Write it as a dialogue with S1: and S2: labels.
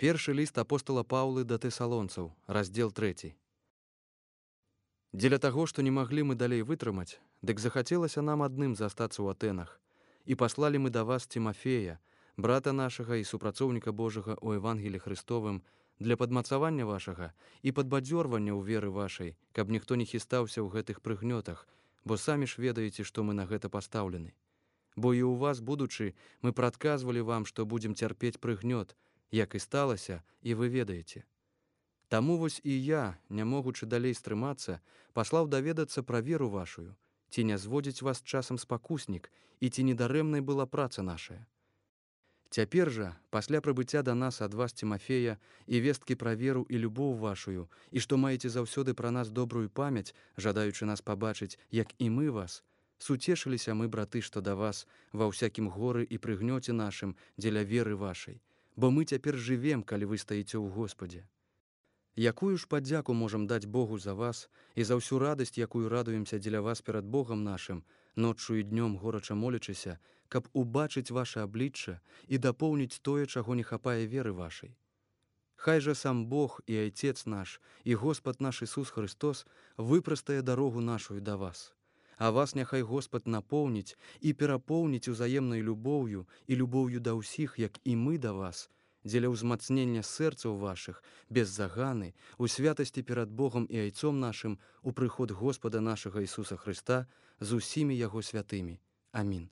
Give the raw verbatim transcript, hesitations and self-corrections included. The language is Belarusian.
S1: Першы ліст апостала Паўлы да тэсалонцаў, раздзел трэці. Дзеля таго, што не маглі мы далей вытрымаць, дык захацелася нам адным застацца ў Атэнах, і паслалі мы да вас Цімафея, брата нашага і супрацоўніка Божага ў Евангелі Христовым, для падмацавання вашага і падбадзёрвання ў веры вашай, каб ніхто не хістаўся ў гэтых прыгнётах, бо самі ж ведаеце, што мы на гэта пастаўлены. Бо і ў вас, будучы, мы прадказвалі вам, што будзем цярпець прыгнёт, як і сталася, і вы ведаеце. Таму вось і я, не могучы далей стрымацца, паслаў даведацца пра веру вашую, ці не зводзіць вас часам спакуснік, і ці недарэмнай была праца нашая. Цяпер жа, пасля прыбыцця да нас ад вас Цімафея і весткі пра веру і любоў вашую, і што маеце заўсёды пра нас добрую памяць, жадаючы нас пабачыць, як і мы вас, суцешыліся мы, браты, што да вас ва ўсякім горы і прыгнёце нашым дзеля веры вашай, бо мы цяпер жывем, калі вы стаіце ў Господзе. Якую ж падзяку можам даць Богу за вас і за ўсю радасць, якую радуемся дзеля вас перад Богам нашым, ноччу і днём горача молячыся, каб убачыць ваше аблічча і дапоўніць тое, чаго не хапае веры вашай. Хай жа сам Бог і Айцец наш, і Господ наш Ісус Христос выпрастае дарогу нашую да вас. А вас няхай Господ напоўніць і перапоўніць узаемнай любоўю і любоўю да ўсіх, як і мы да вас, дзеля ўзмацнення сэрцаў вашых, без заганы, у святасці перад Богом і Айцом нашым, у прыход Господа нашага Ісуса Христа з усімі Яго святымі. Амін.